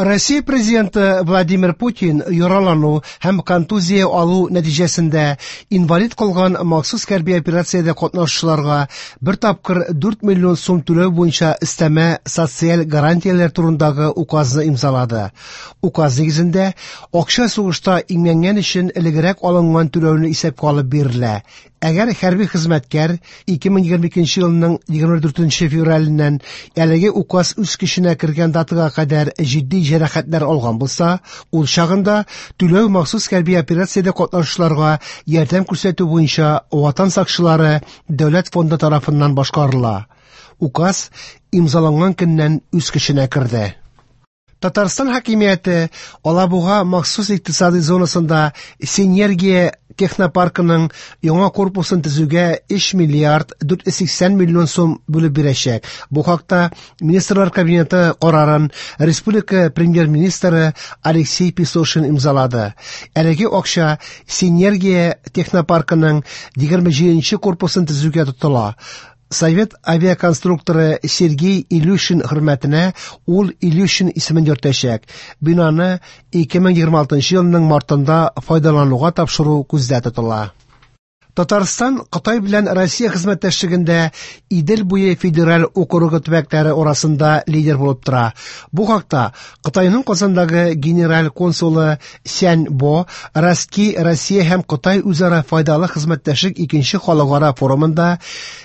Россия президенты Владимир Путин яралану һәм контузия алу нәтиҗәсендә инвалид калган махсус хәрби операциядә катнашучыларга бер тапкыр 4 миллион сум түләү буенча өстәмә социаль гарантияләр турындагы указны имзалады. Указ нигезендә, акча сугышта имгәнгән өчен элегрәк алынган түләүне исәпкә алып бирелә. Әгәр хәрби хезмәткәр 2022 елның 24 февраленнән әлеге указ үз көченә кергән датага кадәр җитди җәрәхәтләр алган булса, ул чагында түләү махсус хәрби операциядә катнашучыларга ярдәм күрсәтү буенча Ватан сакчылары дәүләт фонды тарафыннан башкарыла. Указ имзаланган көннән үз көченә керде. Татарстан хакимияте Алабуга махсус икътисади зонасында Синергия технопаркының яңа корпусын төзүгә 3 миллиард 480 миллион сум бүлеп бирәчәк. Бу хакта Министрлар Кабинеты карарын республика премьер-министры Алексей Песошин имзалады. Әлеге акча Синергия технопаркының 27 корпусын төзүгә тотыла. Совет авиаконструкторы Сергей Илюшин хөрмәтенә ул Илюшин исемен йөртәчәк. Бинаны 2026 елның мартында файдалануга тапшыру күздә тотыла. Татарстан Кытай белән Россия хезмәттәшлегендә Идел буе федераль округы төбәкләре арасында лидер булып тора. Бу хакта Кытайның Казандагы генераль консулы Сянь Бо Ростки Россия һәм Кытай үзара файдалы хезмәттәшлек икенче халыкара форумында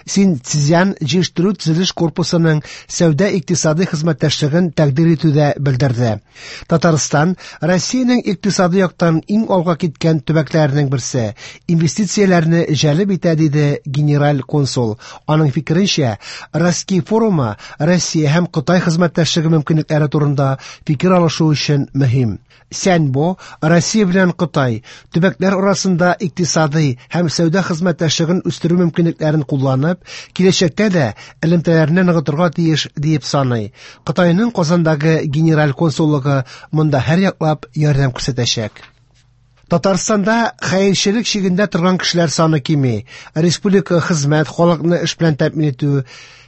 Синьцзян җыештыру төзелеш корпусының сәүдә-икътисадый хезмәттәшлеген тәкъдир итүдә белдерде. Татарстан Россиянең икътисадый яктан иң алга киткән төбәкләренең берсе, инвестицияләрне җәлеп итә, диде генераль консул. Аның фикеренчә, Ростки форумы Россия һәм Кытай хезмәттәшлеге мөмкинлекләре турында фикер алышу өчен мөһим. Сяньбо Россия белән Кытай төбәкләр арасында икътисадый һәм сәүдә хезмәттәшлеген үстерү мөмкинлекләрен кулланып, киләчәктә дә элемтәләрне ныгытырга тиеш диеп саный. Кытайның Казандагы генераль консуллыгы монда һәрьяклап ярдәм күрсәтәчәк. Татарстанда хәерчелек чигендә торган кешеләр саны кими. Республика хезмәт, халыкны эш белән тәэмин итү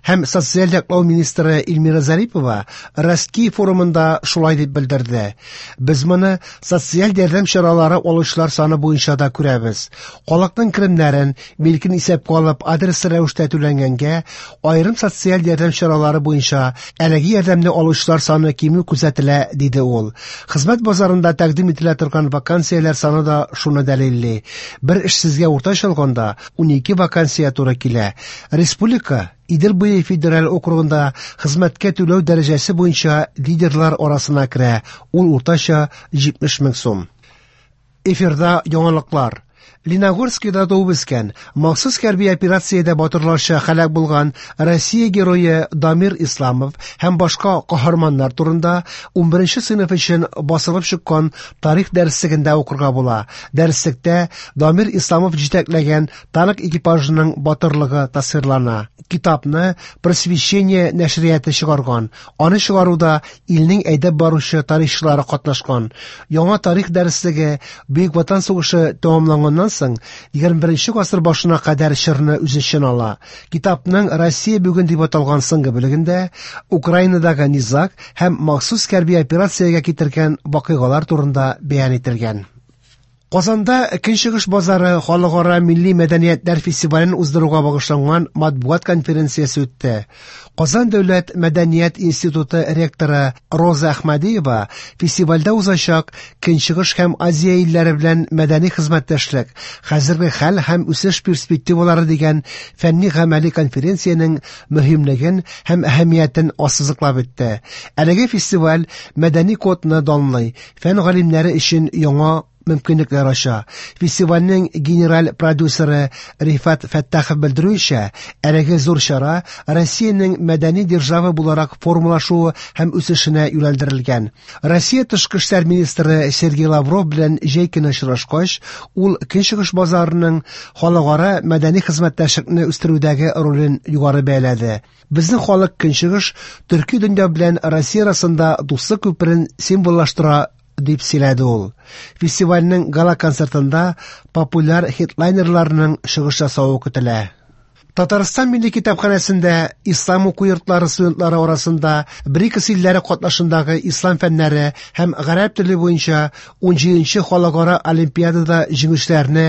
һәм социаль яклау министры Эльмира Зарипова Ростки форумында шулай дип белдерде. Без моны социаль ярдәм чаралары алучылар саны буенча да күрәбез. Халыкның керемнәрен, милкен исәпкә алып, адреслы рәвештә түләнгәнгә, аерым социаль ярдәм чаралары буенча әлеге ярдәмне алучылар саны кимү күзәтелә, диде ул. Хезмәт базарында тәкъдим ителә торган вакансияләр саны да шуны дәлилли. Бер эшсезгә уртача алганда 12 вакансия туры килә. Республика Идел буе федераль округында хезмәткә түләү дәрәҗәсе буенча лидерлар арасына керә, ул уртача 70 мең сум. Эфирда яңалыклар. Леногорскида туып үскән, махсус хәрби операциядә батырларча һәлак булган Россия герое Дамир Исламов һәм башка каһарманнар турында 11 сыйныф өчен басылып чыккан тарих дәреслегендә укырга була. Дәреслектә Дамир Исламов җитәкләгән танк экипажының батырлыгы тасвирлана. Китапны Просвещение нәшрияты чыгарган. Аны чыгаруда илнең әйдәп баручы тарихчылары катнашкан. Яңа тарих дәреслеге Бөек Ватан сугышы тәмамланганнан соң 21 гасыр башына кадәр чорны үз эченә ала. Китапның Россия бүген дип аталган соңгы бүлегендә Украинадагы низаг һәм махсус хәрби операциягә китергән вакыйгалар турында бәян ителгән. Казанда Көнчыгыш базары халыкара милли мәдәниятләр фестивален уздыруга багышланган матбугат конференциясе үтте. Казан дәүләт мәдәният институты ректоры Роза Әхмәдиева фестивальдә узачак Көнчыгыш һәм Азия илләре белән мәдәни хезмәттәшлек, хәзерге хәл һәм үсеш перспективалары дигән фәнни-гамәли конференциянең мөһимлеген һәм әһәмиятен ассызыклап үтте. Әлеге фестиваль мәдәни кодны данлый, фән галимнәре өчен яңа мөмкинлекләр ача. Фестивальнең генераль продюсеры Рифат Фәттахов белдерүенчә, әлеге зур чара Россиянең мәдәни держава буларак формалашуы һәм үсешенә юнәлдерелгән. Россия тышкы эшләр министры Сергей Лавров белән җәй көне очрашкач, ул Көнчыгыш базарының халыкара мәдәни хезмәттәшлекне үстерүдәге ролен югары бәяләде. Безнең халык Көнчыгыш төрки дөнья белән Россия арасында дуслык күперен символлаштыра, дип сөйләде ул. Фестивальнең гала-концертында популяр хедлайнерларның чыгыш ясавы көтелә. Татарстан Милли китапханәсендә ислам уку йортлары студентлары арасында БРИКС илләре катнашындагы ислам фәннәре һәм гарәп теле буенча 17нче халыкара олимпиадада җиңүчеләрне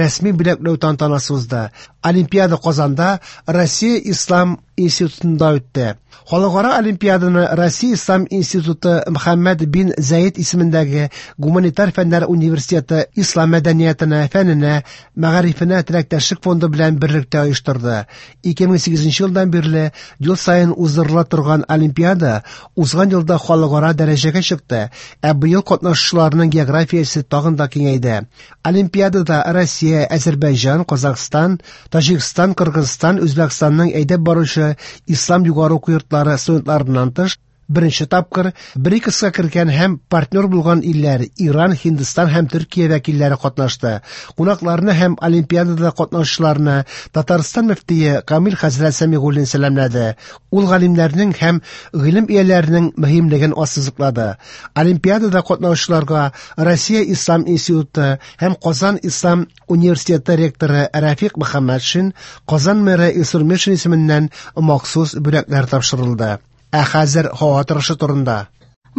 рәсми бүләкләү тантанасы узды. Олимпиада Казанда Россия ислам институтында үтте. Халыкара олимпиаданы Россия ислам институты Мөхәммәд бин Заид исемендәге гуманитар фәннәр университеты ислам мәдәниятенә, фәненә, мәгарифенә теләктәшлек фонды белән берлектә оештырды. 2008 елдан бирле ел саен уздырыла торган олимпиада узган елда халыкара дәрәҗәгә чыкты, ә быел катнашучыларның географиясе тагын да киңәйде. Олимпиадада Россия, Әзербайҗан, Казахстан, Таҗикстан, Кыргызстан, Үзбәкстанның әйдәп баручы ислам югары уку йортлары студентларыннан тыш, беренче тапкыр БРИКСка кергән һәм партнер булган илләр Иран, Һиндстан һәм Төркия вәкилләре катнашты. Кунакларны һәм олимпиадада катнашучыларны Татарстан мөфтие Камил хәзрәт Сәмигуллин сәламләде. Ул галимнәрнең һәм гыйлем ияләренең мөһимлеген ассызыклады. Олимпиадада катнашучыларга Россия Ислам институты һәм Казан Ислам университеты ректоры Рафик Мөхәммәтшин, Казан мэры Илсур Метшин исеменнән махсус бүләкләр тапшырылды. Ә хәзер һава торышы турында.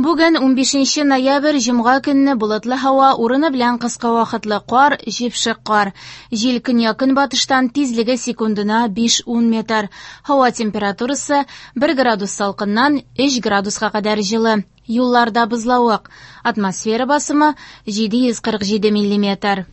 Бүген 15 ноябрь җомга көнне болытлы һава урыны белән кыска вакытлы кар, җепшек кар. Җил көньяк-көнбатыштан тизлеге секундына 5-10 метр. Һава температурасы 1 градус салкыннан 3 градуска кадәр җылы. Юлларда бозлавык. Атмосфера басымы 747 миллиметр.